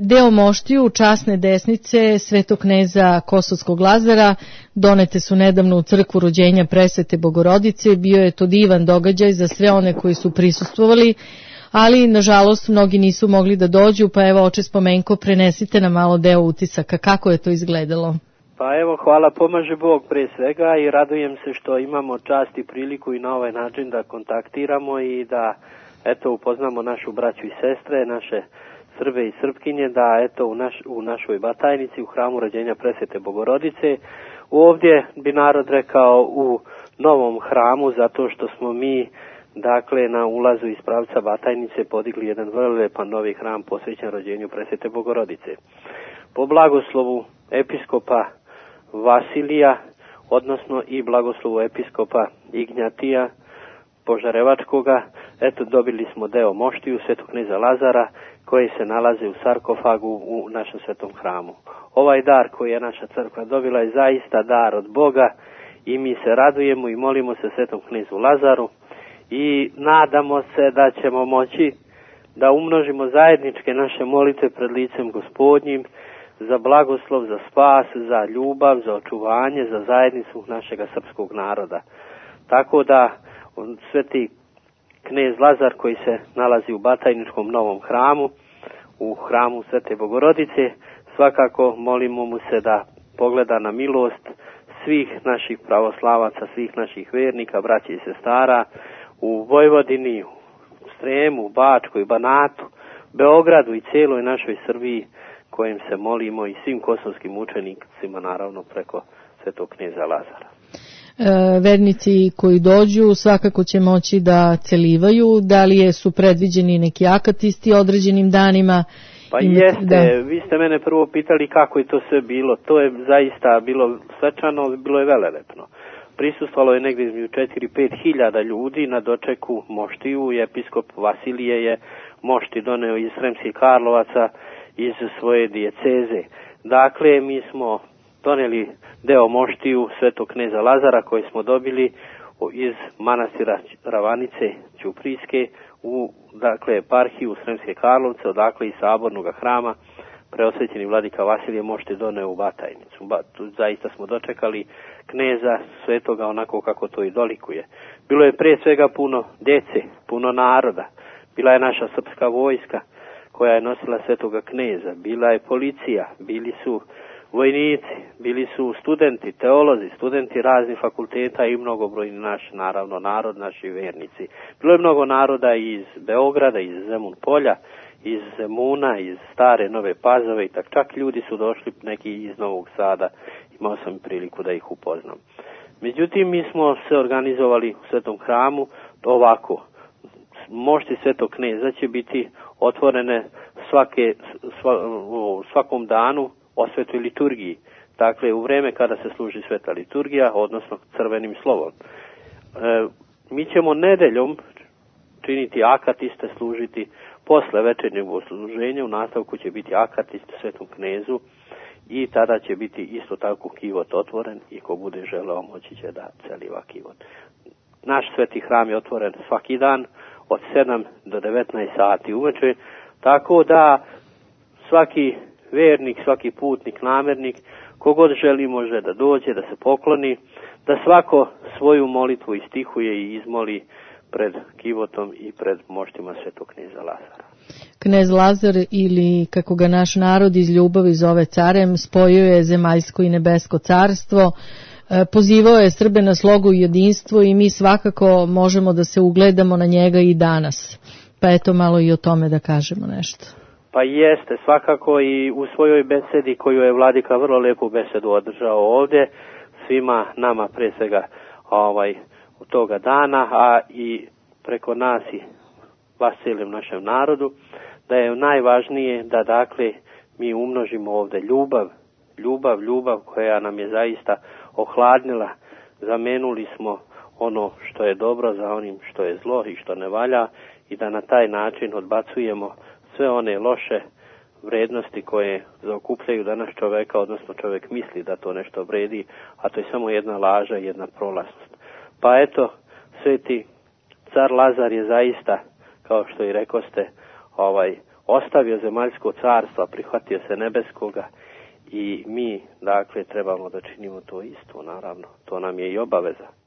Deo moštiju časne desnice svetog kneza Kosovskog Lazara donete su nedavno u crkvu rođenja Presvete Bogorodice. Bio je to divan događaj za sve one koji su prisustvovali, ali nažalost mnogi nisu mogli da dođu, pa evo oče Spomenko, prenesite nam malo deo utisaka, kako je to izgledalo. Pa evo, hvala, pomaže Bog pre svega i radujem se što imamo čast i priliku i na ovaj način da kontaktiramo i da eto upoznamo našu braću i sestre, naše Srbe i Srpkinje, da eto u našoj Batajnici, u hramu rođenja Presvete Bogorodice, ovdje bi narod rekao u novom hramu, zato što smo mi dakle na ulazu iz pravca Batajnice podigli jedan vrlo lepan novi hram posvećen rođenju Presvete Bogorodice. Po blagoslovu episkopa Vasilija, odnosno i blagoslovu episkopa Ignjatija Požarevačkoga, eto dobili smo deo moštiju svetog kneza Lazara koji se nalaze u sarkofagu u našem svetom hramu. Ovaj dar koji je naša crkva dobila je zaista dar od Boga i mi se radujemo i molimo se svetom knezu Lazaru i nadamo se da ćemo moći da umnožimo zajedničke naše molitve pred licem Gospodnjim za blagoslov, za spas, za ljubav, za očuvanje, za zajednicu našega srpskog naroda. Tako da sveti knez Lazar koji se nalazi u Batajničkom novom hramu, u hramu Svete Bogorodice, svakako molimo mu se da pogleda na milost svih naših pravoslavaca, svih naših vernika, braća i sestara u Vojvodini, u Sremu, Bačkoj, Banatu, Beogradu i cijeloj našoj Srbiji kojim se molimo i svim kosovskim učenicima naravno preko svetog kneza Lazara. Vernici koji dođu svakako će moći da celivaju, da li su predviđeni neki akatisti određenim danima? Pa jeste, vi ste mene prvo pitali kako je to sve bilo, to je zaista bilo svečano, bilo je velelepno. Prisustvalo je negdje između 4-5 hiljada ljudi na dočeku moštiju i episkop Vasilije je mošti doneo iz Sremskih Karlovaca iz svoje dijeceze. Dakle, mi smo doneli deo moštiju svetog kneza Lazara koji smo dobili iz manastira Ravanice Ćuprijske u eparhiju Sremske Karlovce, odakle i sabornog hrama preosvećeni vladika Vasilije mošti doneo u Batajnicu. Zaista smo dočekali kneza svetoga onako kako to i dolikuje. Bilo je prije svega puno djece, puno naroda. Bila je naša srpska vojska koja je nosila svetoga kneza, bila je policija, bili su vojnici, bili su studenti, teolozi, studenti raznih fakulteta i mnogobrojni naš, naravno, narod, naši vernici. Bilo je mnogo naroda iz Beograda, iz Zemun polja, iz Zemuna, iz Stare Nove Pazove i čak ljudi su došli neki iz Novog Sada, imao sam priliku da ih upoznam. Međutim, mi smo se organizovali u svetom hramu ovako. Mošti svetog kneza će biti otvorene svakom danu o svetoj liturgiji. Dakle, u vreme kada se služi sveta liturgija, odnosno crvenim slovom. Mi ćemo nedeljom činiti akatiste, služiti posle večernjeg bogosluženja, u nastavku će biti akatist svetom knezu i tada će biti isto tako kivot otvoren i ko bude želeo moći će da celiva kivot. Naš sveti hram je otvoren svaki dan od 7 do 19 sati uveče, tako da svaki vernik, svaki putnik, namernik, kogod želi može da dođe, da se pokloni, da svako svoju molitvu istihuje i izmoli pred kivotom i pred moštima svetog kneza Lazara. Knez Lazar, ili kako ga naš narod iz ljubavi zove carem, spojio je zemaljsko i nebesko carstvo, pozivao je Srbe na slogu i jedinstvo i mi svakako možemo da se ugledamo na njega i danas. Pa eto malo i o tome da kažemo nešto. Pa jeste, svakako i u svojoj besedi koju je vladika vrlo lepu besedu održao ovdje, svima nama pre svega u toga dana, a i preko nas i vas cijelim našem narodu, da je najvažnije da dakle mi umnožimo ovdje ljubav koja nam je zaista ohladnila, zamenuli smo ono što je dobro za onim što je zlo i što ne valja i da na taj način odbacujemo sve one loše vrednosti koje zaokupljaju danas čoveka, odnosno čovjek misli da to nešto vredi, a to je samo jedna laža i jedna prolaznost. Pa eto, sveti car Lazar je zaista, kao što i rekoste, ostavio zemaljsko carstvo, prihvatio se nebeskoga i mi, dakle, trebamo da činimo to isto, naravno. To nam je i obaveza.